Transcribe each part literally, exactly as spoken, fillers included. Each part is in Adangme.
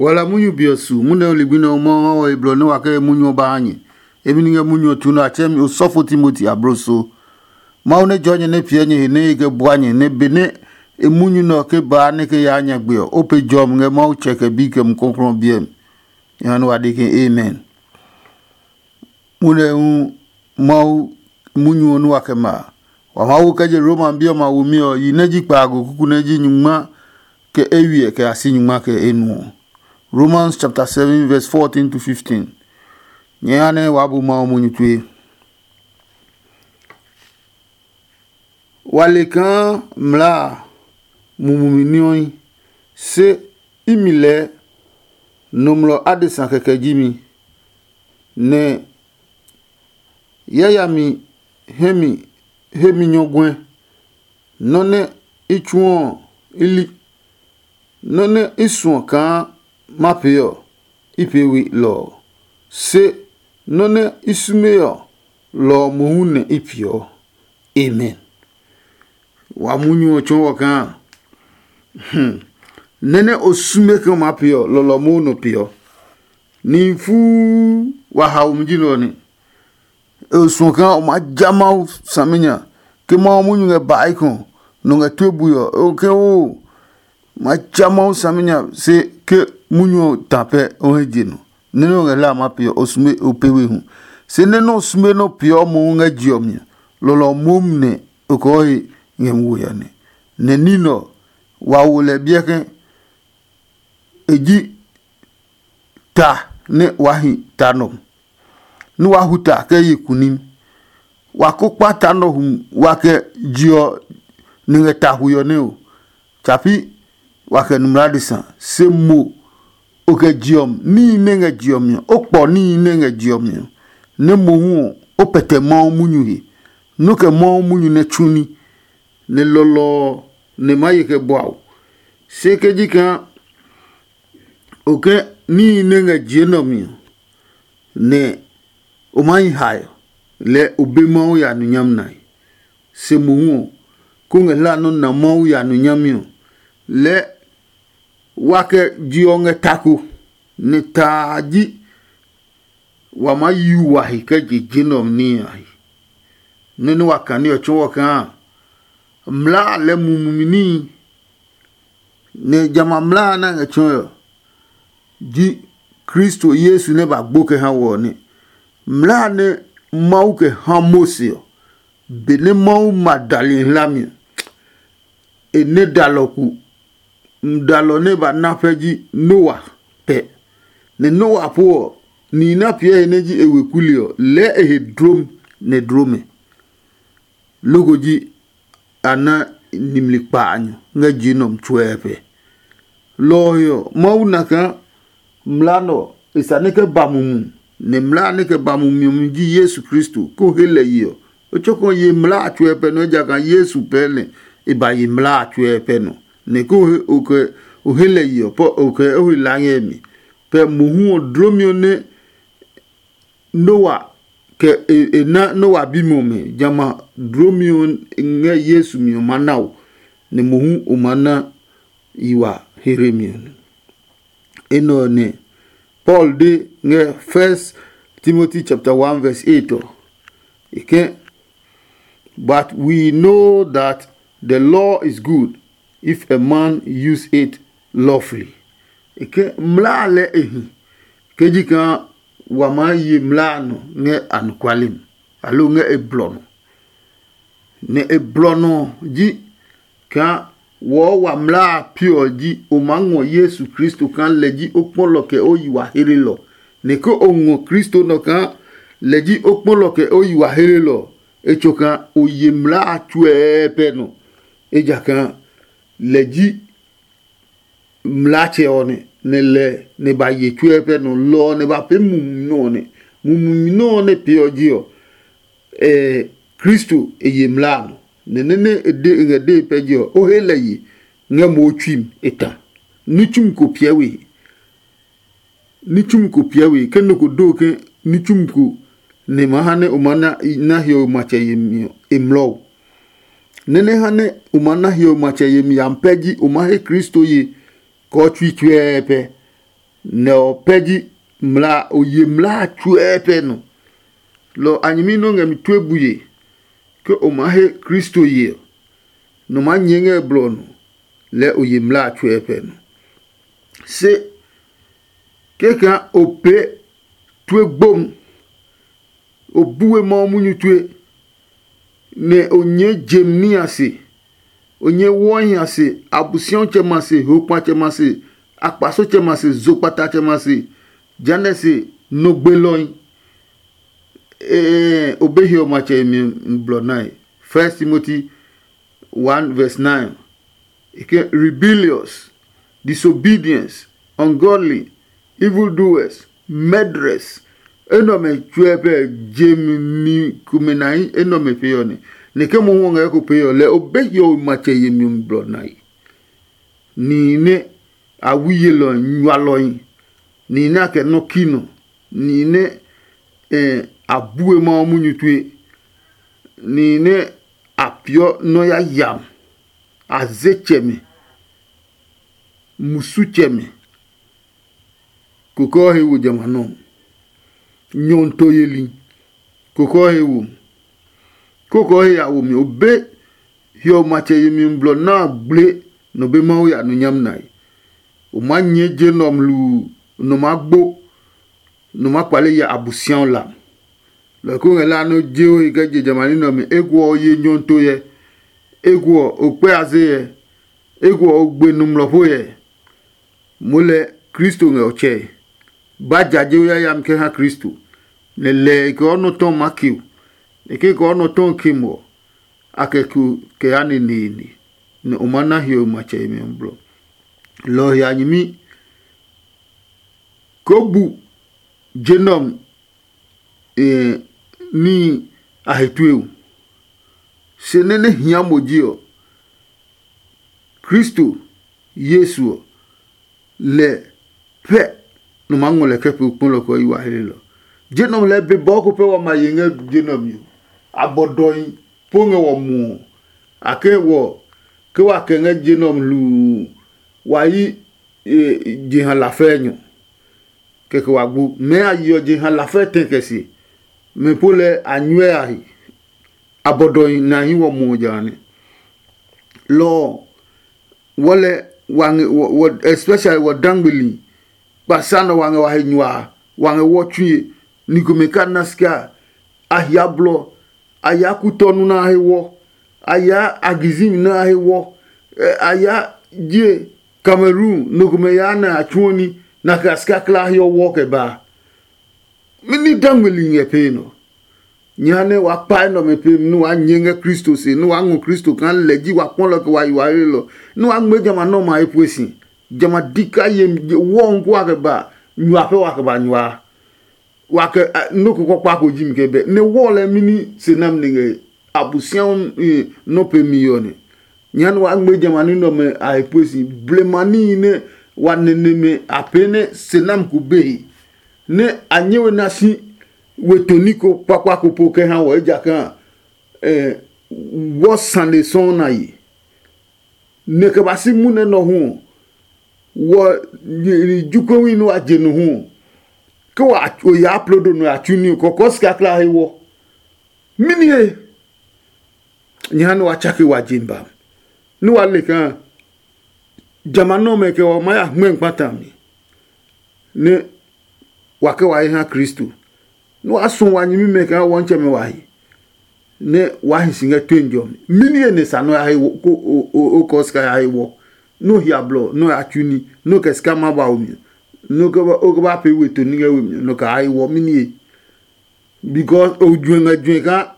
Wa la munyu be ɔ su, munyu ɔ ligbi nɛ ɔ Mawu ha wɔ he blɔ nɛ wa kɛ he munyu ɔ ba ha nyɛ. Emi ni ngɛ munyu ɔ tsu nɛ a tsɛɛ mi osɔfo Timoti abloso. Mawu nɛ jɔɔ nyɛ nɛ piɛ nyɛ he nɛ e kɛ bua nyɛ, nɛ benɛ e munyu nɛ ɔ ke baa nɛ ke yaa nyagbe ɔ, o pe jɔmi ngɛ Mawu Tsɛ kɛ Bi kɛ Mumi Klɔuklɔu ɔ biɛ mi. Jehanɛ wa de ke, Amen. Munyu ɔ hu Mawu munyu ɔ nɛ wa kɛ ma a, wa maa wo kɛ je Roma bi ɔmɛ a womi ɔ, yi nɛ ji kpaago kuku nɛ ji nyungma kɛ eywiɛ kɛ ya si nyungma kɛ enuɔ. Romans chapter seven verse fourteen to fifteen. Nyɛɛ ha nɛ waa bu Mawu munyu tue. Wa le kaa mlaa a mumi ní ɔ hi, se imi lɛɛ nɔmlɔ adesa kɛkɛ ji mi, nɛ yayami hemi hemi nyɔguɛ, nɔ́ nɛ i tsuɔ ɔ i li, nɔ́ nɛ i suɔ kaa ma pee ɔ, i pee we lɔ ɔ, se nɔ́ nɛ i sume ɔ, lɔ ɔ mohu nɛ i peeɔ. Amen. Wa munyu ɔ tsɔɔ wɔ kaa, hmm, nɛ nɛ o sume ke o maa pee ɔ, lɔlɔ mohu nɔ peeɔ. Nihi fuu wa haomi ji nɛ ɔ nɛ. E suɔ kaa o maa ja Mawu saminya, ke Mawu munyu ngɛ bae kɔ, nɔ ngɛ tue bui ɔ, o ke oo, ma ja Mawu saminya se ke munyu ɔ ta pɛ o he je nɔ. Nɛ nɛ o ngɛ hlaa ma peeɔ, o sume o pee we hu. Se nɛ nɛ o sume nɛ o peeɔ mohu ngɛ je ɔ mi ɔ, lɔlɔ ɔ momi nɛ o kɔɔ he ngɛ mi wo ya nɛ. Nɛ ní nɛ ɔ, wa wo lɛ biɛ ke e ji ta nɛ waa hi ta nɔ, nɛ waa hu ta kɛ ye kunim. Wa ko kpa ta nɔ hu wa kɛ je ɔ ni ngɛ ta hui ɔ nɛ o. Tsa pi wa kɛ nu mlaa adesa, se mo o kɛ je ɔ mi, níhi nɛ ngɛ je ɔ mi ɔ, o kpɔ níhi nɛ ngɛ je ɔ mi ɔ, nɛ mohu ɔ, o pɛtɛ Mawu munyu he, nɛ o kɛ Mawu munyu nɛ tsu ní, nɛ lɔlɔ ɔ nɛ maa ye kɛ bua o. Se ke ji kaa o kɛ níhi nɛ ngɛ je nɛ ɔ mi ɔ, nɛ o maa hi hae ɔ, lɛɛ o be Mawu ya nu nyami nae. Se mohu ɔ, kó ngɛ hlaa nɔ́ na Mawu ya nu nyami ɔ, lɛɛ wa kɛ je ɔ ngɛ ta ko, nɛ ta a ji wa maa yu wa he kɛ je je nɛ ɔ níhi a he. Nɔ́ nɛ wa kane ɔ tsɔɔ wɔ kaa mlaa a lɛɛ mumi níhi, nɛ jamɛ a mlaa a nɛ a ngɛ tsɔɔe ɔ, ji Kristo Yesu nɛ ba gbo kɛ ha wɔ ɔ nɛ. Mlaa nɛ Mawu kɛ ha Mose ɔ, benɛ Mawu ma dali hlami ɔ, e nɛ dalɔ ku. Dalɔ nɛ ba na pɛ ji Noa pɛ. Nɛ Noa po ɔ, nihi nɛ a piɛ he nɛ ji e weku li ɔ, lɛɛ e he dlom nɛ dlomɛ. Loko ji a na nimli kpaanyɔ ngɛ je nɛ ɔ mi tsuɛ pɛ. Lɔ ɔ he ɔ, Mawu na kaa mlaa nɛ ɔ, e sa nɛ kɛ ba mumi, nɛ mlaa nɛ kɛ ba mumi ɔ mi ji Yesu Kristo, kó he lɛ ye ɔ. O tsɔkɔ ye mlaa a tsuɛ pɛ nɔ, ejakaa Yesu pɛɛ nɛ e ba ye mlaa a tsuɛ pɛ nɔ. Nɛ kó o he lɛ ye ɔ, o kɛ o he laa ngɛ mi. Pɛ mohu ɔ, dlomi ɔ nɛ Noa kɛ e na Noa bimɛ ɔmɛ, jamɛ a dlomi ɔ ngɛ Yesu mi ɔ maa na o, nɛ mohu o maa na yi wa he hwɛmi ɔ nɛ. Enɛ ɔ nɛ Paul de ngɛ First Timothy chapter one verse eight ɔ. E ke, "But we know that the law is good if a man use it lawfully." E ke mlaa lɛ e hi, ke ji kaa wa maa ye mlaa a nɔ ngɛ anɔkuale mi, aloo ngɛ e blɔ nɔ. Nɛ e blɔ nɔ ɔ ji kaa wɔɔ wa mlaa a piɔ ɔ ji o maa ngɔ Yesu Kristo kaa lɛ ji o kpɔlɔ kɛ o yi wa hlelɔ. Nɛ ke o ngɔ Kristo nɔ kaa lɛ ji o kpɔlɔ kɛ o yi wa hlelɔ ɔ, e tso kaa o ye mlaa a tsuɛɛ pɛ nɔ, ejakaa lɛ ji mlaatsɛ ɔ nɛ, nɛ lɛ nɛ ba ye tsuɛ pɛ nɔ lɔ ɔ nɛ ba pee mumi nɔ ɔ nɛ. Mumi nɔ ɔ nɛ pee ɔ je ɔ, ɛ Kristo e ye mlaa a nɔ. Nɛ nɛ nɛ e de e ngɛ dee pɛ je ɔ, o he lɛ ye ngɛ mo tsui mi e ta. Ní tsumi ko piɛ we he. Ní tsumi ko piɛ we he, ke nɔ ko do ke ní tsumi ko nɛ ma ha nɛ o ma na hiɔwe matsɛ yemi ɔ, e mlɔ o. Nɛ nɛ ha nɛ o ma na hiɔwe matsɛ yemi yami pɛ ji o ma he Kristo ye kɔɔ tsui tsuɛɛ pɛ. Nɛ ɔ pɛ ji mla o ye mlaa tsuɛ pɛ nɔ. Lɔ a nyɛmi nɔ ngɛ mi tue bue ke o maa he Kristo ye ɔ, nɔ maa nyɛɛ ngɛ blɔ ɔ nɔ, lɛɛ o ye mlaa tsuɛ pɛ nɔ. Se kɛkɛa o pee tue gbom, o bue Mawu munyu tue, nɛ o nyɛɛ jem ní a se, o nyɛɛ wɔhi a se, Abusiɔtsɛmɛ a se, hokpatsɛmɛ a se, akpasotsɛmɛ a se, zokpatatsɛmɛ a se, jehanɛ se, nɔ gbelɔi. Ɛɛ, o be hiɔ matsɛ yemi blɔ nae. First Timothy one verse nine. E ke rebellious, disobedience, ungodly, evil doers, murderers. Enɛ ɔmɛ tsuɛ pɛ jemi ni komɛ nahi enɛ ɔmɛ pee ɔ nɛ. Nɛ ke mohu ɔ ngɛ ko pee ɔ lɛ o be hiɔwe matsɛ yemi ɔ mi blɔ nae. Nihi nɛ a wi yelɔhi nyualɔhi, nihi nɛ a kɛ nɔ́ ki nɔ, nihi nɛ eh, a bue Mawu munyu tue, nihi nɛ a peeɔ nɔ́ yayami, a ze tsɛmɛ, musu tsɛmɛ, koko ɔ he wo jamɛ a nɔ. Nyɔnto yeli, koko ɔ he wo. Koko ɔ he ya wo mi o be hiɔ matsɛ yemi blɔ na a gble nɔ be Mawu ya nu nyam nae. O maa nyɛɛ je nɔ mlu nɔ maa gbo, nɔ maa kpale ya Abusiaɔ la. Lɔ ko ngɛ la nɔ je o he kɛ je jamani nɛ ɔmɛ ekuɔ o ye nyɔnto yɛ, ekuɔ o kpɛ a ze yɛ, ekuɔ o gbe nɔmlɔ po yɛ. Moo lɛ Kristo ngɛ o tsɛe. Ba jaje o yayami kɛ ha Kristo, nɛ lɛ e kɛ o nɔ tɔn ma ke o. E ke kɛ o nɔ tɔn ke mo ɔ, a kɛ ko kɛ ya neneene, nɛ o ma na hiɔwe matsɛ yemi ɔ blɔ. Lɔ ɔ he a nyɛmi ko bu je nɛ ɔ ní a he tue o. Se nɛ nɛ hia mo ji ɔ, Kristo Yesu ɔ, lɛ pɛ nɔ maa ngɔ lɛ kɛ pee kpɔlɔ kɛ yi wa helelɔ. Je nɔmlɔ lɛɛ be bɔɔ ko pɛ wa ma ye ngɛ je nɛ ɔ mi ɔ, a bɔ dɔhi po ngɛ wɔ muɔ. A ke wɔ ke wa kɛ ngɛ je nɛ ɔ mi hluu, wa yi jeha lafɛɛnyɔ, kɛkɛ wa gbu. Mɛɛ a yeɔ jeha lafɛ tɛ kɛ se, mɛ po lɛ a nyuɛ a he. A bɔ dɔhi nɛ a hi wɔ muɔ ja a nɛ. Lɔ ɔ, wɔ lɛ wa ngɛ wɔ especially wɔ dangbeli kpasa nɛ wa ngɛ wa he nyua a, wa ngɛ wɔ tsue. Ni komɛ ka na sika a hia blɔ, a ya kutɔnu na a he wɔ, a ya agizimi na a he wɔ, a ya je Cameroon, no komɛ ya nɛ a tsuɔ ni, na kɛ a sika kla a he ɔ wɔ kɛ ba a. Mɛni dangbeli ngɛ pee nɔ? Nyɛ ha nɛ wa kpae nɛ ɔmɛ pemi nɛ waa nyɛ ngɛ Kristo se, nɛ waa ngɔ Kristo kaa lɛ ji wa kpɔlɔ kɛ wa yi wa helelɔ, nɛ waa ngmɛɛ jamɛ a nɔmɛ a he pue si. Jamɛ a di ka ye wɔɔ nko a kɛ ba nyua pɛ wa kɛ ba nyua. Wa kɛ nɔ́ ko kpakpa ko ji mi kɛ bɛ nɛ wɔɔ lɛ mini se nami nɛ ngɛ Abosiami nɔ́ pemi ɔ nɛ. Nyɛ ha nɛ waa ngmɛɛ jamɛ a ní nɛ ɔmɛ a he pue si. Blema níhi nɛ wa nɛnɛ mɛ a pee nɛ se nami ko be he, nɛ a nyɛ we na si we toni ko kpakpa ko po kɛ ha wɔ, ejakaa wɔ sane sɔɔ na ye. Nɛ kɛ ba si munɛ nɔ hu ɔ, wɔ jukowi nɛ wa je no hu ɔ, ke wa o yaa aplodo nɔ ya tsu ní ɔ, kɔkɔɔ sika kla he wɔ. Mɛni he? Nyɛ ha nɛ wa tsake wa je ba, nɛ wa le kaa jamɛ a nɔmɛ kɛ wa maa ya hmɛ kpata mi, nɛ wa kɛ wa he ha Kristo, nɛ wa suɔ wa nyɛmimɛ kaa wɔntsɛmɛ wa he, nɛ waa hi si ngɛ tue jɔmi. Mɛni he nɛ sa nɛ o ya he o kɔɔ sika ya he wɔ, nɛ o hia blɔ, nɛ o ya tsu ní, nɛ o kɛ sika ma ba o mi, nɛ o kɛ ba pee we toni ngɛ we mi, nɛ o kɛ ya he wɔ? Mɛni he? Because o juɛ ngɛ juɛ kaa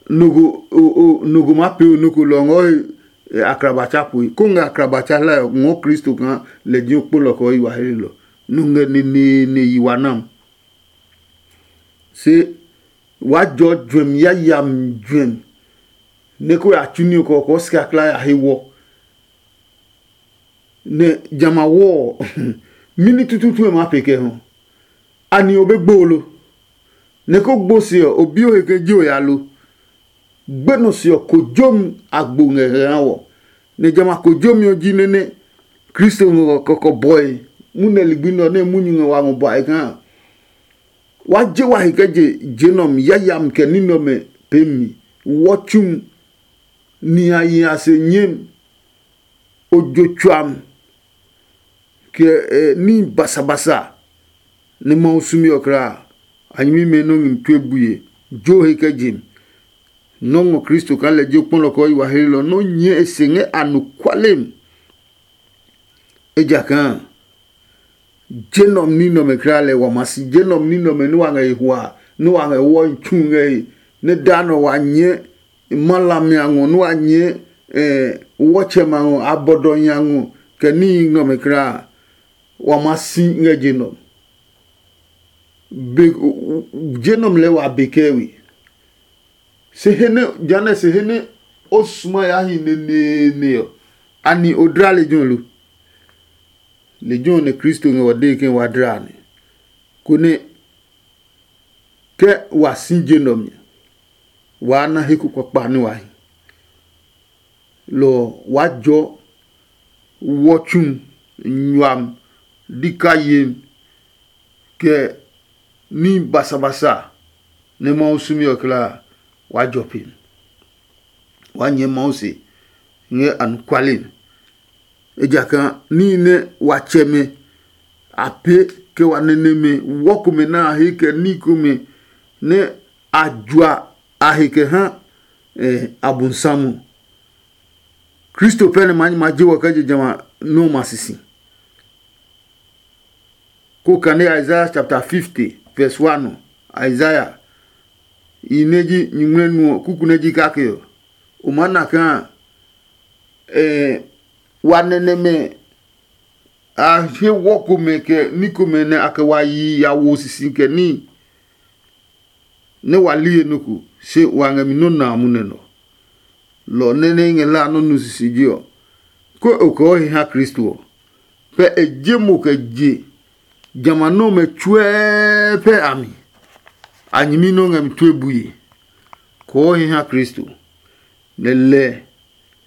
nɔ ko ma pee o nɔ ko lɔ ngɔ he akrabatsa poe, ko ngɛ akrabatsa hlae ɔ ngɔ Kristo kaa lɛ ji o kpolɔ kɛ o yi wa helelɔ, nɔ ngɛ neneene yi wa nam. Se waa jɔ juɛmi yayami juɛmi, nɛ ko ya tsu ní ɔ kɔkɔɔ sika kla ya he wɔ. Nɛ jamɛ a wɔ ɔ, mɛni tututu e maa pee kɛ hɔ? Anɛ o be gbo lo? Nɛ ko gbo se ɔ, o bi o he ke ji o ya lo? Gbenɔ se ɔ, kojomi a gbo ngɛ ngɛ ha wɔ, nɛ jamɛ a kojomi ɔ ji nɛ nɛ Kristo ngɛ kɔkɔ bɔe munɛ ligbi nɛ ɔ nɛ munyu ngɛ wa ngɔ bua e kaa, wa je wa he kɛ je je nɔ mi yayami kɛ ní nɛ ɔmɛ peemi, wɔ tsu, nihi a se nyem, ojo tsuam, kɛ ní basabasa nɛ Mawu sumi ɔ kulaa. A nyɛmimɛ nɔ́ ngmi tue bue, jo he kɛ je mi. Nɔ́ ngɔ Kristo kaa lɛ ji o kpɔlɔ kɛ o yi wa heelɔ nɔ́ nyɛɛ e se ngɛ anɔkuale mi. Ejakaa je nɔ ní nɛ ɔmɛ kulaa lɛ wa ma si, je nɔ ní nɛ ɔmɛ nɛ wa ngɛ he hua, nɛ wa ngɛ wɔ tsu ngɛ he, nɛ daa nɔ wa nyɛɛ ma hlami a ngɔ, nɛ wa nyɛɛ wɔtsɛmɛ a ngɔ, abɔdɔhi a ngɔ, kɛ níhi nɛ ɔmɛ kulaa, wa ma si ngɛ je nɔ. Be je nɔmlɛ wa be kɛ we. Se he nɛ, jehanɛ se he nɛ o suma ya hi neneene ɔ, ani o dla lejɛ ɔ lo? Lejɛ ɔ nɛ Kristo ngɛ wa dee ke wa dla nɛ, konɛ ke wa si je nɛ ɔ mi, waa na he ko kpakpa nɛ wa hi. Lɔ ɔ, waa jɔ wɔ tsu, nyuam, dika yem, kɛ ní basabasa nɛ Mawu sumi ɔ kulaa, waa jɔ pe. Waa nyɛɛ Mawu se ngɛ anɔkuale mi. Ejakaa níhi nɛ wa tsɛmɛ a pee kɛ wa nɛnɛmɛ wɔ komɛ nɛ a he kɛ ní komɛ nɛ a jua a he kɛ ha abonsam ɔ, Kristo pɛ nɛ ma nyɛ ma je wɔ kɛ je jamɛ a nɔ́ ɔ ma sisi. Ko kane Isaiah chapter fifty verse one ɔ, Isaiah yi nɛ ji nyuŋmlɛ nu ɔ kuku nɛ ji kake ɔ, o maa na kaa wa nɛnɛmɛ a he wɔ komɛ kɛ ní komɛ nɛ a kɛ wa yi ya wo sisi kɛ níhi. Nɛ wa li he nɔ ko, se wa ngɛ mi nɔ́ na a munɛ nɔ. Lɔ ɔ nɛ nɛ i ngɛ hlaa nɔ́ nu sisiji ɔ, ke o kɔɔ he ha Kristo ɔ, pɛ e je mo kɛ je jamɛ a nɔmɛ tsuɛɛ pɛ a mi. A nyɛmi nɔ́ ngɛ mi tue bue. Kɔɔ he ha Kristo, nɛ lɛ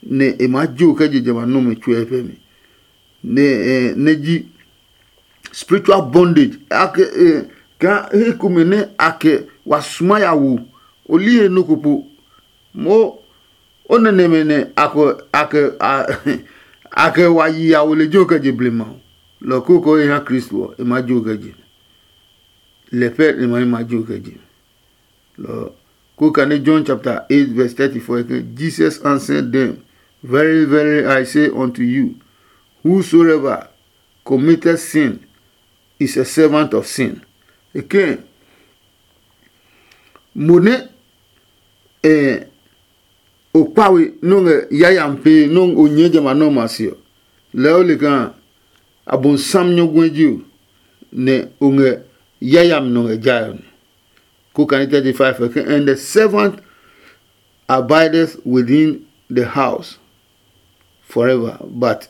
nɛ e maa je o kɛ je jamɛ a nɔmɛ tsuɛɛ pɛ mi. Nɛ nɛ ji spiritual bondage. Ake kaa he komɛ nɛ a kɛ wa suma ya wo, o li he nɔ ko po. Mo o nɛ nɛmɛ nɛ a kɛ a kɛ a kɛ wa yi ya wo lejɛ ɔ kɛ je blema ɔ, lɔ ko kɛ o he ha Kristo ɔ, e maa jo kɛ je. Lɛ pɛ e ma e ma jo kɛ je. Lɔ ko kane John chapter eight verse thirty-four ke, Jesus answered them, very, very, I say unto you, whosoever committed sin is a servant of sin. Eke mo ne eh, o kpawe nɔ ngɛ yayami pee nɔ o nyɛɛ jamɛ a nɔ ma se ɔ, lɛɛ o le kaa abonsam nyɔguɛ ji o, nɛ o ngɛ yayami nɔ ngɛ jae ɔ nɛ. Ko kane thirty-five ɔ ke, and the servant abideth within the house forever, but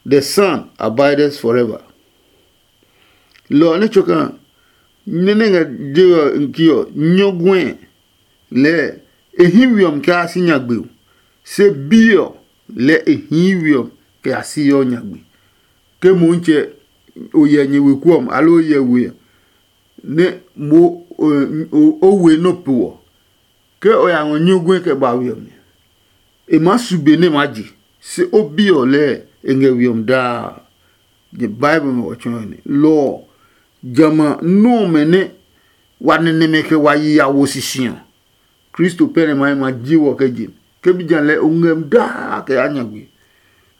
the son abideth forever. Lɔ ɔ nɛ tsoka nɛ nɛ ngɛ je ɔ ke ɔ nyɔguɛ lɛɛ e hí we ɔ mi kɛ a si nyagbe o, se bi ɔ lɛɛ e hii we ɔ kɛ a si yɔ nyagbe. Ke Motsɛ o yɛ nyɛ weku ɔ mi aloo o yɛ we ɔ, nɛ mo o we nɔ po ɔ, ke o ya ngɔ nyuguɛ kɛ ba we ɔ mi, e maa su be nɛ e maa je, se o bi ɔ lɛɛ e ngɛ we ɔ mi daa. Bible ngɛ wɔ tsɔɔe nɛ lɔ ɔ, jamɛ a nɔmɛ nɛ wa nɛnɛmɛ kɛ wa yi ya wo sisi ɔ, Kristo pɛ nɛ ma ma ji wɔ kɛ je. Ke bi ja lɛ o ngɛ daa kɛ ya nyagbe.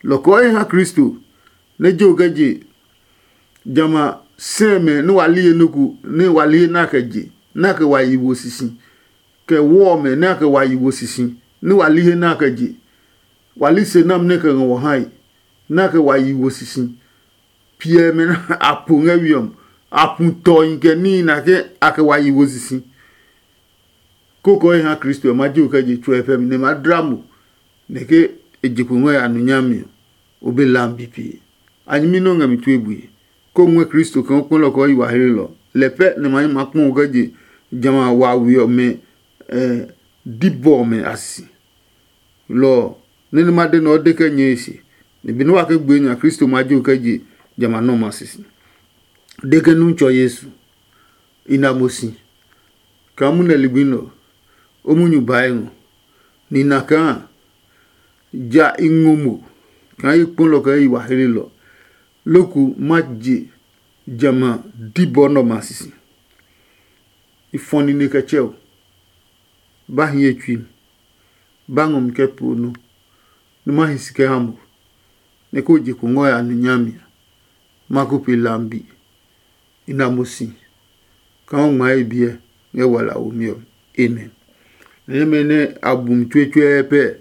Lɔ kɔɔ he ha Kristo nɛ je o kɛ je jamɛ a sɛmɛ nɛ wa li he nɔ́ ko nɛ wa li he nɛ a kɛ je nɛ a kɛ wa yi wo sisi, kɛ wɔ ɔmɛ nɛ a kɛ wa yi wo sisi nɛ wa li he nɛ a kɛ je. Wa li se nami nɛ kɛ ngɛ wɔ hae nɛ a kɛ wa yi wo sisi. Piɛ mɛ nɛ a po ngɛ we ɔ mi, a pu tɔhi kɛ níhi nɛ a ke a kɛ wa yi wo sisi. Kókɔɔe ha Kristo ɔ ma ji o kɛ je tsuɛ pɛ mi nɛ ma dla mo, nɛ ke e je kpo ngɛ ya nu nyami ɔ, o be lam bipi. A nyɛmi nɛ o ngɛ mi tue bue, kó ngɔɛ Kristo kaa o kpɔlɔ kɛ o yi wa hlelɔ. Lɛ pɛ nɛ ma nyɛ ma kpɔ o kɛ je jamɛ a wa we ɔmɛ dibɔ ɔmɛ a sisi. Lɔ ɔ, nɛ nɛ ma de nɛ o de kɛ nyɛe se, Ni be nɛ wa ke gbue nya Kristo ma jo kɛ je jamɛ a nɔ́ ɔmɛ a sisi. De ke nu tsɔ Yesu, i na mo si kaa munɛ ligbi nɛ ɔ, o munyu bae ngɔ. Ni na kaa ja i ngɔ mo kaa i kpɔlɔ kɛ i wa helelɔ. Loku ma je jamɛ a dibɔ nɛ ɔmɛ a sisi. I fɔ nine kɛ tsɛ o. Ba hi ye tsui mi. Ba ngɔ mi kɛ poo nɔ. Numa hi si kɛ ha mo, nɛ ko je kpo ngɔ ya nu nyami a, ma ko pe lambi. I na mo si kaa o ngma ye biɛ ngɛ wala womi ɔ. Amen. Nɛmɛ nɛ a bu mi tsuetsuɛɛ pɛ.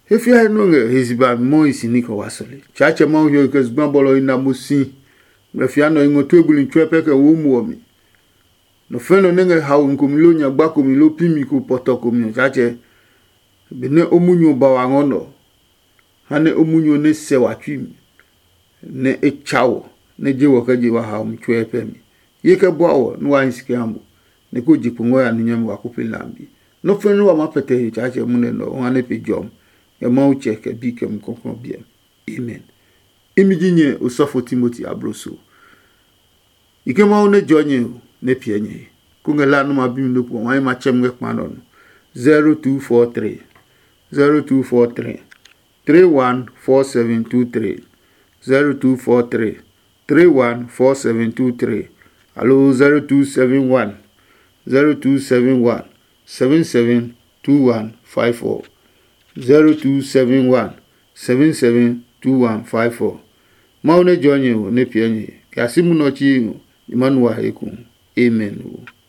He fiae nɔ ngɛ he ziba mi mɔ hi si ní kɛ wa sɔle. Tsaatsɛ Mawu hiɔ kɛ zugba bɔlɔ i na mo si. Ngmlɛ fia nɔ i ngɔ tue buli tsuɛ pɛ kɛ wo muɔ mi. Nɔ fɛ̃ nɔ nɛ ngɛ haomi komi loo nyagba komi loo pimi ko pɔtɔ komi ɔ, Tsaatsɛ, benɛ o munyu ɔ ba wa ngɔ nɔ, ha nɛ o munyu ɔ nɛ sɛ wa tsui mi, nɛ e tsa wɔ, nɛ je wɔ kɛ je wa haomi tsuɛ pɛ mi. Ye kɛ bua wɔ nɛ wa hi si kɛ ha mo, nɛ ko je kpo ngɔ ya nu nyami wa ko pee lambi. Nɔ́ fɛ̃ nɛ wa maa pɛtɛ he Tsaatsɛ munɛ nɛ ɔ, o ha nɛ pe jɔmi, ngɛ Mawu tsɛ kɛ bi kɛ Mumi Klɔuklɔu biɛ mi. Amen. Imi ji nyɛ osɔfo Timoti abloso. I ke Mawu nɛ jɔ nyɛ ɔ nɛ piɛ nyɛ he. Ko ngɛ la nɛ ma bi mi nɔ́ pu ɔ, ma yi ma tsɛ mi ngɛ kpa nɔ nɔ. zero two four three, zero two four three, three one four seven two three, zero two four three, three one four seven two three, aloo zero two seven one, zero two seven one, seven seven two one five four, zero two seven one, seven seven two one five four. Mawu nɛ jɔ nyɛ ɔ nɛ piɛ nyɛ he. Kɛ a si munɔ chi ɔ, nyɛ ma nu wa he eko. Amen ɔ.